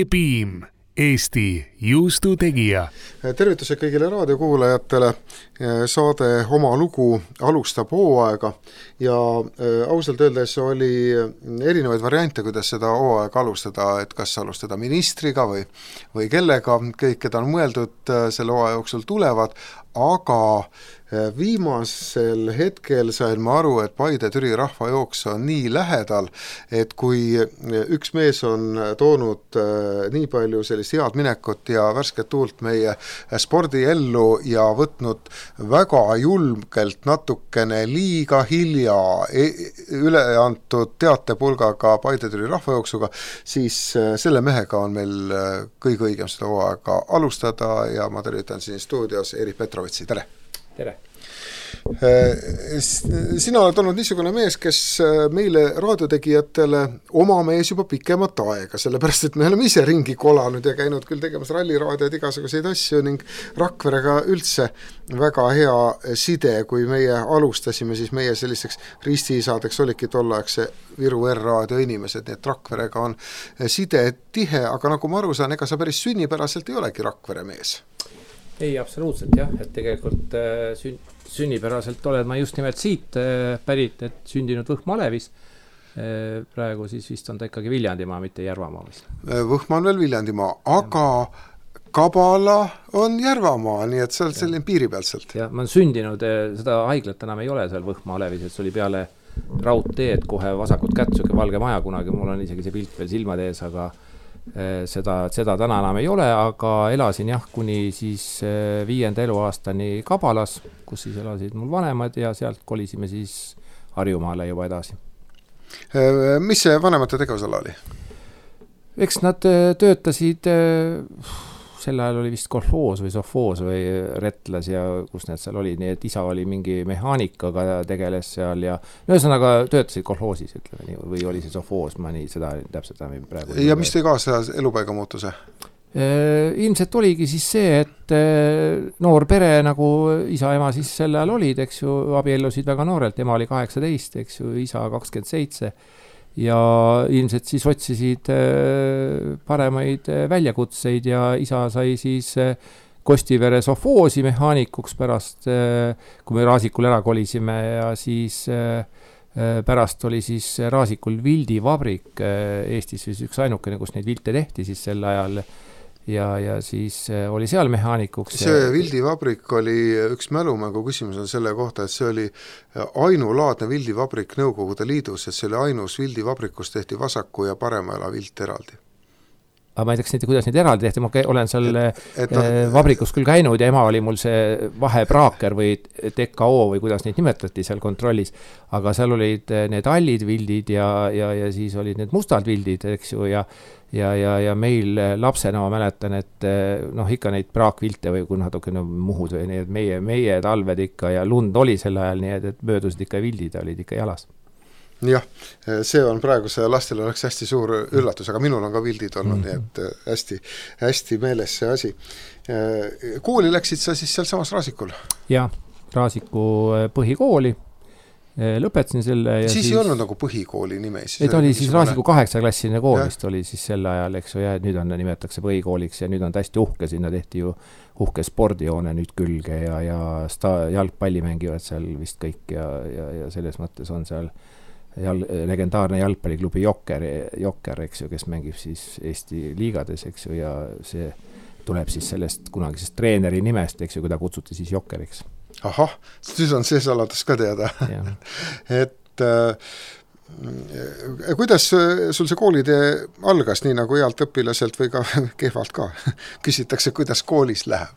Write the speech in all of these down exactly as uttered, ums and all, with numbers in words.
E-Beam, Eesti juustu tegija. Tervitused kõigile raadiokuulajatele. Saade Oma lugu alustab hooaega ja ausalt öeldes oli erinevaid variante, kuidas seda hooaega alustada, et kas alustada ministriga või, või kellega, kõik, keda on mõeldud selle hooaja jooksul tulevad, aga viimasel hetkel sain ma aru, et Paide-Türi rahvajooks on nii lähedal, et kui üks mees on toonud nii palju sellist head minekut ja värsket tuult meie spordiellu ja võtnud väga julmkelt natukene liiga hilja üle antud teatepulgaga Paide-Türi rahvajooksuga, siis selle mehega on meil kõige õigem seda hooaega alustada ja ma tervitan siin stuudios Erik Petrovitsi, tere! Tere! Sina oled olnud niisugune mees, kes meile raadiotegijatele oma mees juba pikemat aega, sellepärast et me oleme ise ringi kolanud ja käinud küll tegemas ralliraadiod igasuguseid asju ning Rakverega üldse väga hea side, kui meie alustasime, siis meie selliseks ristiisadeks olidki tollaegse Viru R-raadio inimesed, nii et Rakverega on side tihe, aga nagu ma aru saan, ega sa päris sünnipäraselt ei olegi Rakvere mees. Ei, absoluutselt jah, et tegelikult äh, sün- sünnipäraselt olen ma just nimelt siit äh, pärit, et sündinud Võhma Alevis. Äh, praegu siis vist on ta ikkagi Viljandimaa, mitte Järvamaa. Võhma on veel Viljandimaa, aga Kabala on Järvamaa, nii et see on selline piiri pealselt. Ja ma olen sündinud, seda haiglat enam ei ole seal Võhma Alevis, et see oli peale raudteed kohe vasakut kätt, suke valge maja kunagi, mul on isegi see pilt veel silmade ees, aga Seda, seda täna enam ei ole, aga elasin jah, kuni siis viienda eluaastani Kabalas, kus siis elasid mul vanemad ja sealt kolisime siis Harjumaale juba edasi. Mis see vanemate tegevusala oli? Eks nad töötasid, sel ajal oli vist kolhoos või sofoos või retlas ja kus need seal olid, nii et isa oli mingi mehaanikaga tegeles seal ja ühesõnaga töötasid kolhoosis, ütleme nii, või oli see sofoos, ma nii seda täpselt enam praegu. Ja mis tõi kaasa elupaiga muutuse? Ilmselt oligi siis see, et noor pere nagu isa ema siis sel ajal olid, eks ju, abiellusid väga noorelt, ema oli kaheksateist, eks ju, isa kakskümmend seitse ja ilmselt siis otsisid paremaid väljakutseid ja isa sai siis Kostivere sofoosi mehaanikuks pärast, kui me Raasikul ära kolisime ja siis pärast oli siis Raasikul vildivabrik Eestis siis üks ainukene, kus neid vilte tehti siis sel ajal ja, ja siis oli seal mehaanikuks. See vildivabrik oli üks mälumängu küsimus on selle kohta, et see oli ainulaadne vildivabrik Nõukogude Liidus, et see oli ainus vildivabrik, kus tehti vasaku ja parema jala vilt eraldi. Aga ma ei teaks, kuidas neid eraldi tehti, ma olen seal et, et no, vabrikus küll käinud ja ema oli mul see vahepraaker või T K O või kuidas neid nimetati seal kontrollis, aga seal olid need allid vildid ja, ja, ja siis olid need mustad vildid, eks ju, ja Ja, ja, ja meil lapsena ma mäletan, et noh, ikka neid praakvilte või kui natuke no, muhud või need meie, meie talved ikka ja lund oli sel ajal, nii et, et möödusid ikka vildid, olid ikka jalas. Jah, see on praegu see lastele oleks hästi suur üllatus, aga minul on ka vildid olnud, mm-hmm. nii et hästi, hästi meeles see asi. Kooli läksid sa siis seal samas Raasikul? Jah, Raasiku põhikooli. Lõpetasin selle ja siis siis ei olnud nagu põhikooli nime siis et oli siis Raasiku kaheksaklassiline kool vist oli siis sel ajal, eks ju, ja nüüd on, nimetatakse põhikooliks ja nüüd on hästi uhke, sinna tehti ju uhke spordijoone nüüd külge ja, ja sta- jalgpalli mängivad seal vist kõik ja, ja, ja selles mõttes on seal jal- legendaarne jalgpalliklubi Jokker, Jokker, eks ju, kes mängib siis Eesti liigades, eks ju, ja see tuleb siis sellest kunagisest treeneri nimest, eks ju, kui ta kutsuti siis Jokkeriks. Ahah, siis on see saladus ka teada. et äh, kuidas sul see koolitee algas, nii nagu healt õpilaselt või ka kehvalt ka? Küsitakse, kuidas koolis läheb?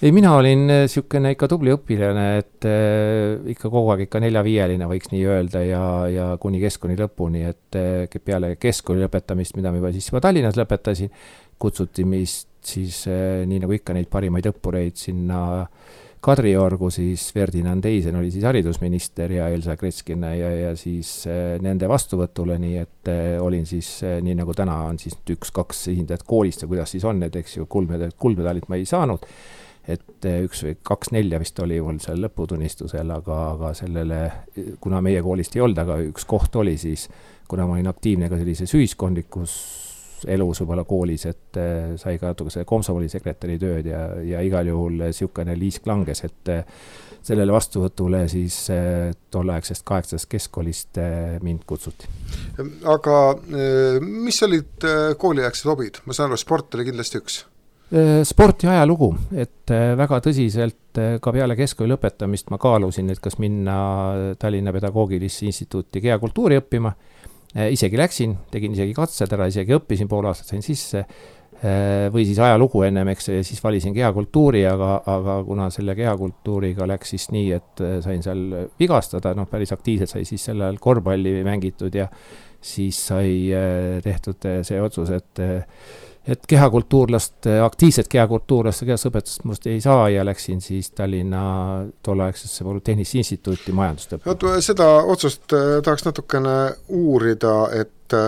Ei, mina olin siukene ikka tubli õpilane, et äh, ikka kogu aeg ikka nelja-viieline võiks nii öelda ja, ja kuni keskkooli lõpuni, et äh, peale keskkooli lõpetamist, mida ma juba siis juba Tallinnas lõpetasin, kutsuti mist siis äh, nii nagu ikka neid parimaid õppureid sinna Kadriorgu, siis Ferdinand Eisen oli siis haridusminister ja Elsa Kretskina ja, ja siis äh, nende vastuvõtule, nii et äh, olin siis, äh, nii nagu täna on siis üks-kaks esindajat koolist ja kuidas siis on, et eks ju kuldmedalit, kuldmedalit ma ei saanud, et äh, üks või kaks nelja vist oli mul seal lõputunnistusel, aga, aga sellele, kuna meie koolist ei olnud, aga üks koht oli siis, kuna ma olin aktiivne ka sellises ühiskondlikus elus võib-olla koolis, et sai ka natuke see komsomolisekretäri tööd ja, ja igal juhul siukene liisk langes, et sellele vastuvõtule siis tolleaegsest kaheksast keskkoolist mind kutsuti. Aga mis olid kooliaegsed hobid? Ma saan aru, sport oli kindlasti üks. Sport ja ajalugu, et väga tõsiselt ka peale keskkooli lõpetamist ma kaalusin, et kas minna Tallinna Pedagoogilisse instituuti kehakultuuri õppima. Isegi läksin, tegin isegi katsed ära, isegi õppisin pool aastat, sain sisse või siis ajalugu ennem, eks, ja siis valisin kehakultuuri, aga, aga kuna selle kehakultuuriga läks siis nii, et sain seal vigastada, noh päris aktiivselt sai siis selle ajal korvpalli mängitud ja siis sai tehtud see otsus, et et kehakultuurlast, aktiivset kehakultuurlast ja kehasõpetust must ei saa ja läksin siis Tallinna tolleaegsesse Polütehnilisse instituuti majandust õppima. Seda otsust tahaks natukene uurida, et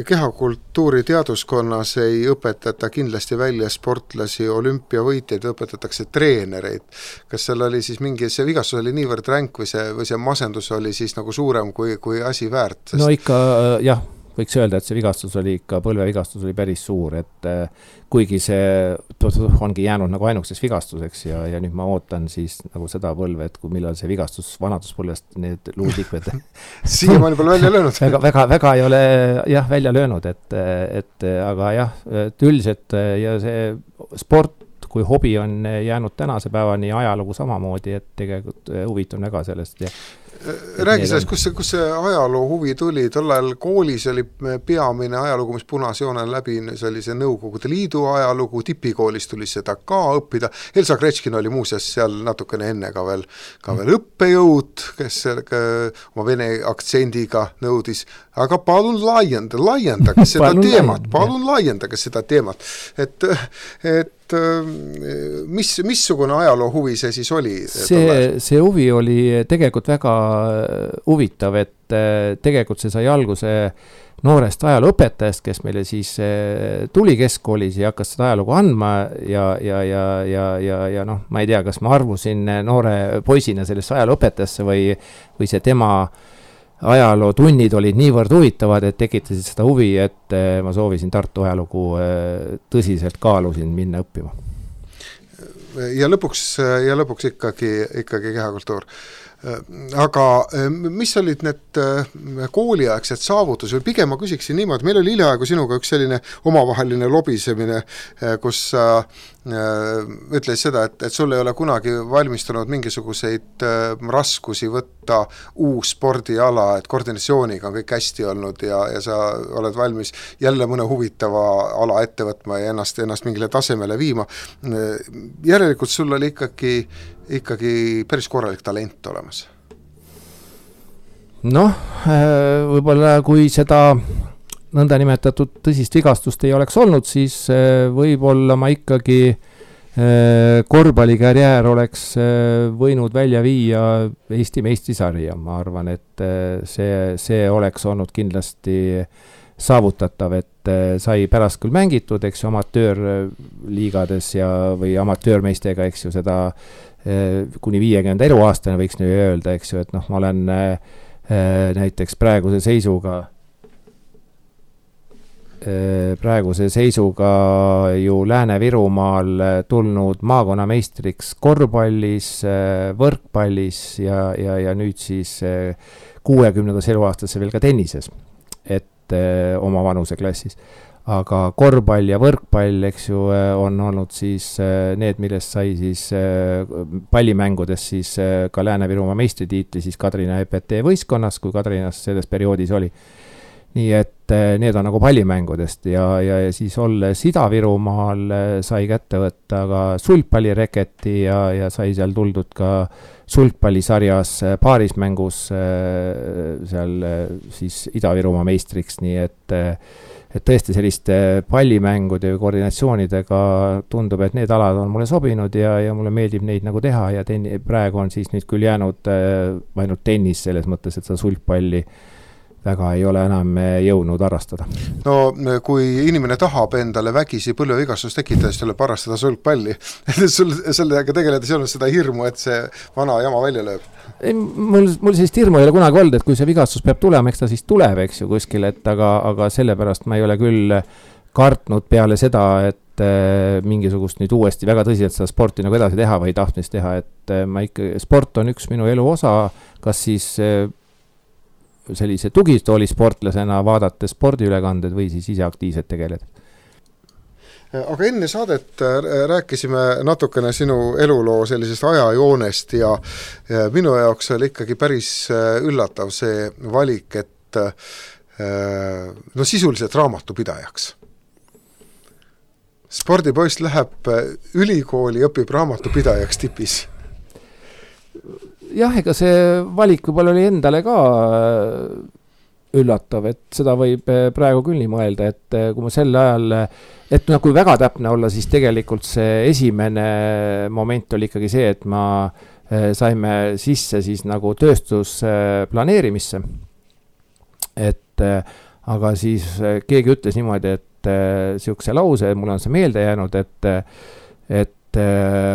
kehakultuuri teaduskonnas ei õpetata kindlasti välja sportlasi, olümpiavõitjaid, õpetatakse treenereid. Kas seal oli siis mingi, see vigastus oli niivõrd ränk või see, või see masendus oli siis nagu suurem kui, kui asi väärt? Sest... No ikka jah, võiks öelda, et see vigastus oli ikka, põlvevigastus oli päris suur, et kuigi see ongi jäänud nagu ainukeseks vigastuseks ja, ja nüüd ma ootan siis nagu seda põlve, et kui millal see vigastus vanaduspõlvest need luuliikmed siiamaani pole välja löönud. väga, väga, väga ei ole jah, välja löönud, et, et aga jah, üldiselt ja see sport kui hobi on jäänud tänase päevani ajalugu samamoodi, et tegelikult huvitun väga sellest ja räägi sellest, kus see, kus see ajaloo huvi tuli, tol ajal koolis oli peamine ajalugu, mis punasjoone läbi, see oli see Nõukogude Liidu ajalugu, tipikoolis tuli seda ka õppida, Elsa Gretškin oli muuseas seal natukene enne ka veel, ka veel õppejõud, kes ka, oma vene aktsendiga nõudis, aga palun laienda, laiendage seda palun teemat, palun laiendage seda teemat, et, et mis, missugune ajaloo huvi see siis oli? See, see huvi oli tegelikult väga huvitav, et tegelikult see sai alguse noorest ajalooõpetajast, kes meile siis tuli keskkoolis ja hakkas seda ajalugu andma ja, ja, ja, ja, ja, ja noh, ma ei tea, kas ma arvusin noore poisina sellesse ajalooõpetajasse või, või see tema ajalootunnid olid niivõrd huvitavad, et tekitasid seda huvi, et ma soovisin Tartu ajalugu tõsiselt kaalusin minna õppima. Ja lõpuks, ja lõpuks ikkagi, ikkagi kehakultuur. Aga mis olid need kooliaegsed saavutus või pigem ma küsiksin niimoodi, meil oli hiljaaegu sinuga üks selline omavaheline lobisemine, kus sa ütles seda, et, et sul ei ole kunagi valmistunud mingisuguseid raskusi võtta uus spordiala, et koordinatsiooniga on kõik hästi olnud ja, ja sa oled valmis jälle mõne huvitava ala ette võtma ja ennast, ennast mingile tasemele viima. Järelikult sul oli ikkagi ikkagi päris korralik talent olemas. Noh, võib-olla kui seda nõnda nimetatud tõsist vigastust ei oleks olnud, siis võib-olla ma ikkagi korvpallikarjäär oleks võinud välja viia Eesti meistrisarja. Ma arvan, et see, see oleks olnud kindlasti saavutatav, et sai pärast küll mängitud, eks ju, amatöörliigades ja, või amatöörmeistega, eks ju, seda kuni viiekümnenda eluaastane võiks nüüd öelda, eks ju, et noh, ma olen äh, näiteks praeguse seisuga äh, praeguse seisuga ju Lääne-Virumaal tulnud maakonnameistriks korvpallis, äh, võrkpallis ja, ja, ja nüüd siis äh, kuuekümnendas eluaastasse veel ka tennises, et äh, oma vanuse klassis. Aga korvpall ja võrkpall, eks ju, on olnud siis need, millest sai siis pallimängudes siis ka Lääne-Virumaa meistritiitli siis Kadrina E P T võistkonnas, kui Kadrinas selles perioodis oli. Nii et need on nagu pallimängudest ja, ja, ja siis olles Ida-Virumaal sai kätte võtta ka sulgpallireketi ja, ja sai seal tuldud ka sulgpallisarjas paarismängus seal siis Ida-Virumaa meistriks, nii et et tõesti selliste pallimängude ja koordinatsioonidega tundub, et need alad on mulle sobinud ja, ja mulle meeldib neid nagu teha ja ten- praegu on siis nüüd küll jäänud äh, ainult tennis selles mõttes, et seda sulgpalli väga ei ole enam jõudnud harrastada. No kui inimene tahab endale vägisi põlvevigastus tekitada, siis tuleb harrastada sulgpalli. Sul, sellega tegeledes ei olnud seda hirmu, et see vana jama välja lööb? Ei, mul, mul sellist hirmu ei ole kunagi olnud, et kui see vigastus peab tulema, eks ta siis tuleb, eks ju, kuskil, et aga, aga sellepärast ma ei ole küll kartnud peale seda, et mingisugust nüüd uuesti väga tõsiselt seda sporti nagu edasi teha või tahtmist teha, et ma ikka, sport on üks minu elu osa, kas siis sellise tugistooli sportlasena vaadata spordiülekanded või siis ise aktiivselt tegeleda. Aga enne saadet rääkisime natukene sinu eluloo sellisest ajajoonest ja minu jaoks oli ikkagi päris üllatav see valik, et no sisuliselt raamatupidajaks. Spordipoist läheb ülikooli, õpib raamatupidajaks tipis. Jah, ega see valik võib-olla oli endale ka üllatav, et seda võib praegu küll nii mõelda, et kui ma sel ajal, et no, kui väga täpne olla, siis tegelikult see esimene moment oli ikkagi see, et ma saime sisse siis nagu tööstusplaneerimisse. Et aga siis keegi ütles niimoodi, et siukse lause, mul on see meelde jäänud, et, et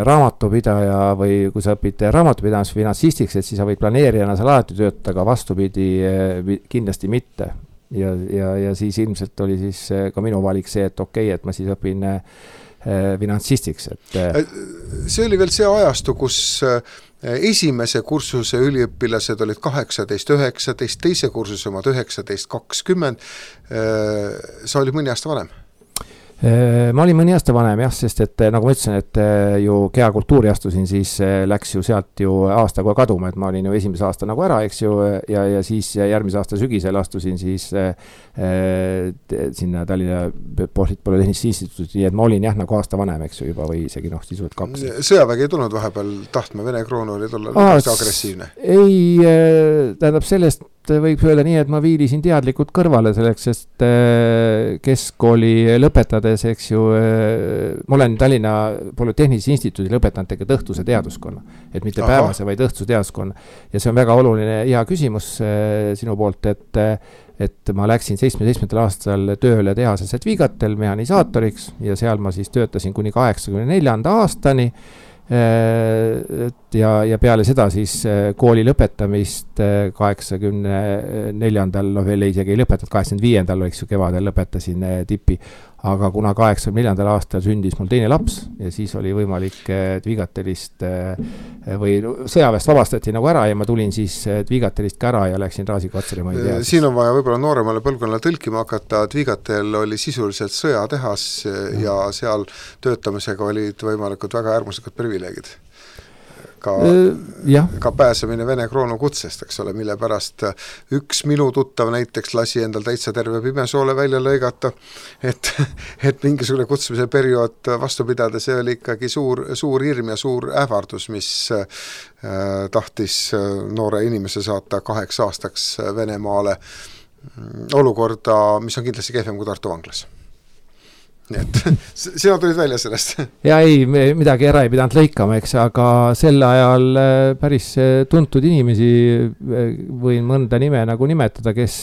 raamatupidaja või kui sa õpid raamatupidajas finantsistiks, et siis sa võid planeerijana seal alati töötada, aga vastupidi kindlasti mitte. Ja, ja, ja siis ilmselt oli siis ka minu valik see, et okei, et ma siis õpin finantsistiks. Et... See oli veel see ajastu, kus esimese kursuse üliõpilased olid kaheksateist üheksateist, teise kursuse omad üheksateist kakskümmend. Sa olid mõni aasta vanem? Ma olin mõni aasta vanem jah, sest et nagu ma ütlesin, et ju kehakultuuri astusin, siis läks ju sealt ju aasta kohe kaduma, et ma olin ju esimese aasta nagu ära, eks ju, ja, ja siis järgmise aasta sügisel astusin siis äh, sinna Tallinna Polütehnilise Instituuti, nii et ma olin jah nagu aasta vanem, eks ju, juba või isegi noh, sisuliselt kaks. Sõjavägi ei tulnud vahepeal tahtma, Vene kroon oli tulla agressiivne? Ei, tähendab sellest võib öelda nii, et ma viilisin teadlikult kõrvale selleks, sest keskkooli lõpetades, eks ju, ma olen Tallinna Polütehnilise Instituudi lõpetanud tegelikult õhtuse teaduskonna, et mitte Aha. päevase, vaid õhtuse teaduskonna. Ja see on väga oluline hea küsimus sinu poolt, et, et ma läksin seitsmekümne seitsmendal aastal tööle tehases Vigatel mehanisaatoriks ja seal ma siis töötasin kuni kaheksakümne neljanda aastani. Ja, ja peale seda siis kooli lõpetamist kaheksakümne neljandal, no veel isegi ei lõpetanud, kaheksakümne viiendal eks ju kevadel lõpetasin tipi, aga kuna kaheksakümne neljandal aastal sündis mul teine laps ja siis oli võimalik Vigatelist või sõjaväest vabastati nagu ära ja ma tulin siis Vigatelist ka ära ja läksin Raasiko-Otsari ma ei tea. Siin on vaja võib-olla nooremale põlvkonnale tõlkima hakata, et Vigatel oli sisuliselt sõjatehas ja, ja seal töötamisega olid võimalikud väga äärmuslikud privileegid. Ka, ja. ka pääsemine Vene kroonu kutsest, eks ole, mille pärast üks minu tuttav näiteks lasi endal täitsa terve pimesoole välja lõigata, et, et mingisugune kutsumise periood vastu pidada, see oli ikkagi suur, suur hirm ja suur ähvardus, mis äh, tahtis noore inimese saata kaheks aastaks Venemaale olukorda, mis on kindlasti kehvem kui Tartu vanglas. Nii et sina tulid välja sellest. Ja ei, midagi ära ei pidanud lõikama, eks, aga sel ajal päris tuntud inimesi võin mõnda nime nagu nimetada, kes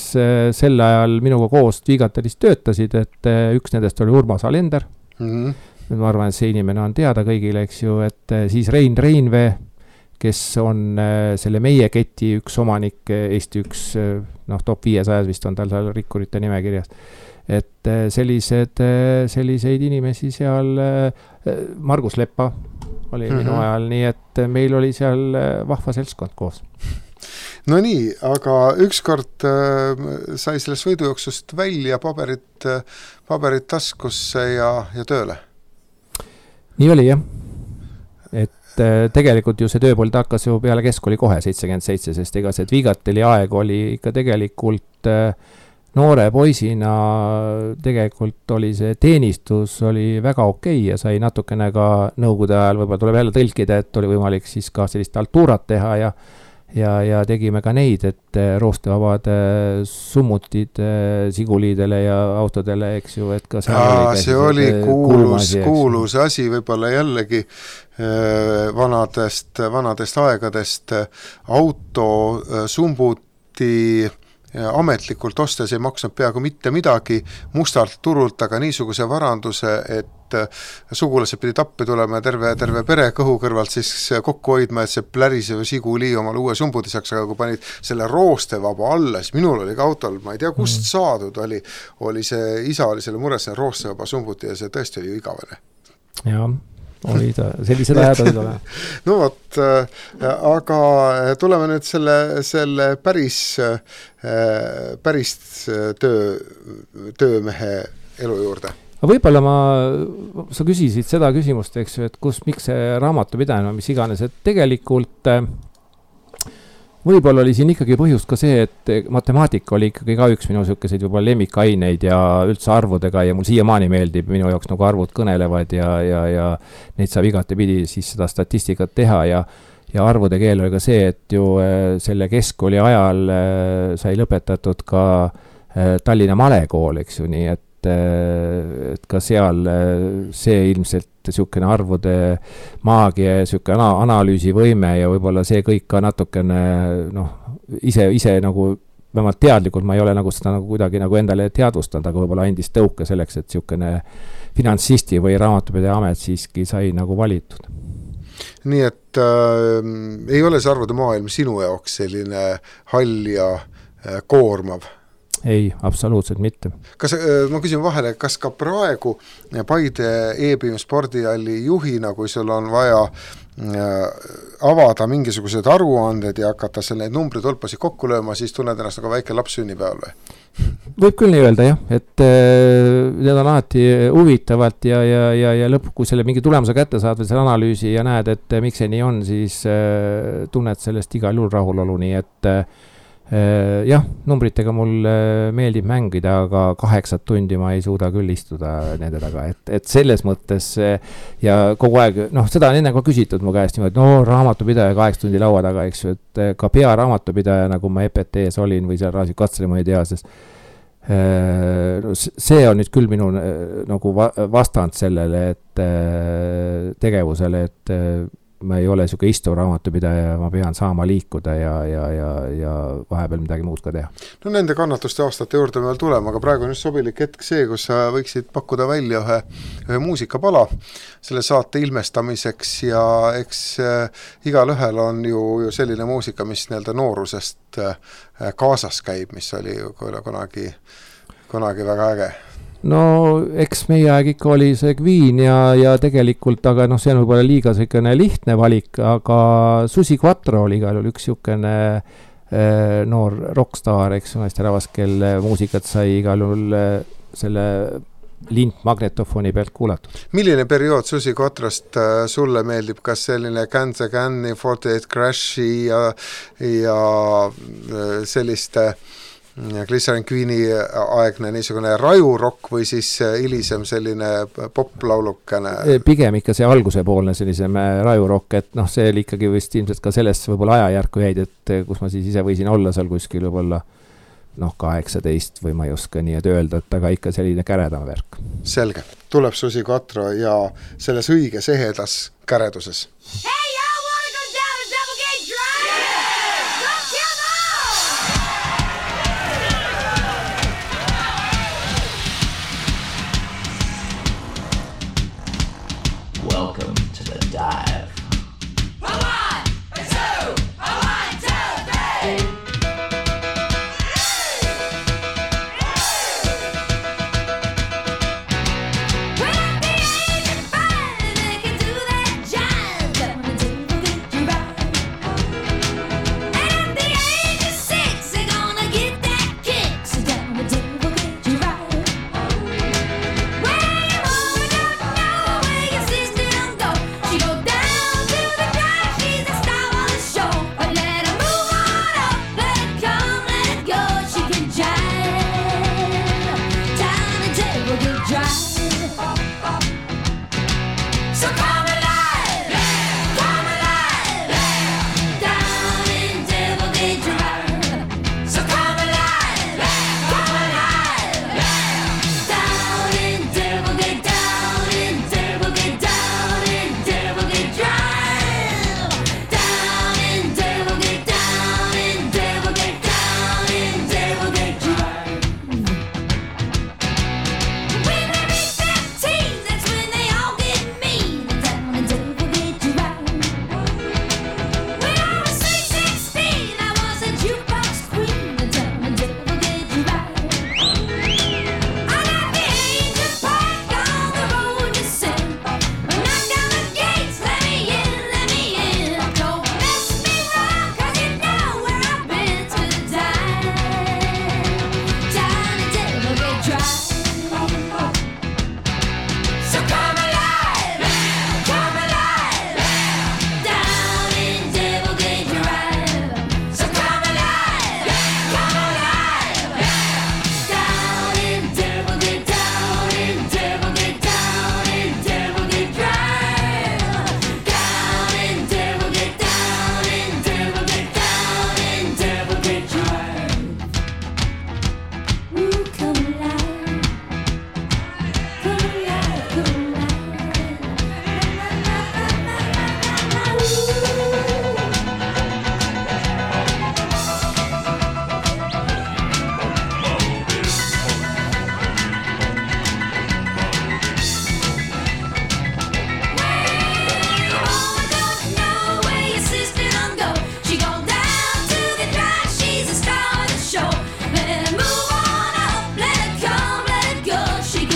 sel ajal minuga koos Vigatelis töötasid, et üks nendest oli Urmas Alender. Mm-hmm. Ma arvan, et see inimene on teada kõigile, eks ju, et siis Rein Reinvee, kes on selle meie keti üks omanik, Eesti üks, noh, top viiesajas vist on tal seal rikkurite nimekirjas. Et sellised, selliseid inimesi seal, Margus Leppa oli mm-hmm. minu ajal, nii et meil oli seal vahva seltskond koos. No nii, aga ükskord äh, sai sellest võidujooksust välja paberit, paberit taskusse ja, ja tööle? Nii oli jah, et äh, tegelikult ju see tööpold hakkas ju peale keskkooli kohe seitsekümmend seitse, sest ega see Vigateli aeg oli ikka tegelikult äh, noore poisina tegelikult oli see teenistus oli väga okei ja sai natukene ka nõukogude ajal, võib-olla tuleb jälle tõlkida, et oli võimalik siis ka sellist altuurat teha ja, ja, ja tegime ka neid, et roostevabad summutid siguliidele ja autodele, eks ju, et ka Aa, oli see oli kuulus, kuulus asi võib-olla jällegi vanadest, vanadest aegadest auto sumbuti ametlikult ostes ei maksnud peaaegu mitte midagi mustalt turult, aga niisuguse varanduse, et sugulased pidi tappi tulema ja terve, terve pere kõhu kõrvalt siis kokku hoidma, et see plärisev Žiguli omal uue sumbudi saaks, aga kui panid selle roostevaba alla, siis minul oli ka autol, ma ei tea kust saadud, oli, oli see, isa oli selle mures, see roostevaba sumbuti ja see tõesti oli ju igavene. Jaa, oli ta, sellised ajad olid ole. No vot, aga tuleme nüüd selle, selle päris, päris töö, töömehe elu juurde. Aga võib-olla ma, sa küsisid seda küsimust, eks ju, et kus, miks see raamatupidajana, mis iganes, et tegelikult võib-olla oli siin ikkagi põhjust ka see, et matemaatika oli ikkagi ka üks minu selliseid võib-olla lemmikaineid ja üldse arvudega ja mul siiamaani meeldib minu jaoks nagu arvud kõnelevad ja, ja, ja neid saab igati pidi siis seda statistikat teha ja ja arvude keel oli ka see, et ju selle keskkooli ajal sai lõpetatud ka Tallinna Malekool, eks ju, nii et et ka seal see ilmselt niisugune arvude maagia ja niisugune analüüsivõime ja võib-olla see kõik ka natukene noh, ise, ise nagu vähemalt teadlikult ma ei ole nagu seda nagu kuidagi nagu endale teadvustanud, aga võib-olla andis tõuke selleks, et niisugune finantsisti või raamatupidaja amet siiski sai nagu valitud. Nii et äh, ei ole see arvude maailm sinu jaoks selline hall ja äh, koormav? Ei, absoluutselt mitte. Kas, ma küsin vahele, kas ka praegu Paide E-Beam spordihalli juhina, kui sul on vaja avada mingisugused aruanded ja hakata selle neid numbritulpasid kokku lööma, siis tunned ennast nagu väike laps sünnipäeval või? Võib küll nii öelda, jah, et need on alati huvitavalt ja, ja, ja, ja lõpp, kui selle mingi tulemuse kätte saad või selle analüüsi ja näed, et miks see nii on, siis tunned sellest igal juhul rahulolu, nii et jah, numbritega mul meeldib mängida, aga kaheksat tundi ma ei suuda küll istuda nende taga, et, et selles mõttes ja kogu aeg, noh, seda on enne ka küsitud mu käest niimoodi, no raamatupidaja kaheksa tundi laua taga, eks ju, et ka pea raamatupidaja, nagu ma E P T-s olin või seal Raasik Katseli, ma ei tea, sest see on nüüd küll minu nagu vastand sellele, et tegevusele, et ma ei ole niisugune istuv raamatupidaja, ma pean saama liikuda ja, ja, ja, ja vahepeal midagi muud ka teha. No nende kannatuste aastate juurde veel tulema, aga praegu on just sobilik hetk see, kus sa võiksid pakkuda välja ühe, ühe muusikapala selle saate ilmestamiseks ja eks äh, igal ühel on ju, ju selline muusika, mis nii-öelda noorusest äh, kaasas käib, mis oli ju kunagi, kunagi väga äge. No eks meie aeg ikka oli see Queen ja, ja tegelikult, aga noh, see on võib-olla liiga selline lihtne valik, aga Susi Quattro oli igal juhul üks niisugune eh, noor rockstaar, eks naisterahvas, kelle muusikat sai igal juhul eh, selle lint magnetofoni pealt kuulatud. Milline periood Susi Quattrost äh, sulle meeldib, kas selline Guns N' Roses, forty-eight Crashi ja, ja äh, selliste Glycerin Queen'i aegne niisugune rajurokk või siis hilisem selline poplaulukene? Pigem ikka see algusepoolne sellisem rajurokk, et noh, see oli ikkagi vist ilmselt ka sellest võib-olla ajajärku jäid, et kus ma siis ise võisin olla seal kuskil võib-olla noh, kaheksateist või ma ei oska nii et öelda, et aga ikka selline käredam värk. Selge. Tuleb Susi Quattro ja selles õiges ehedas käreduses. Hey!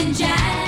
in jazz.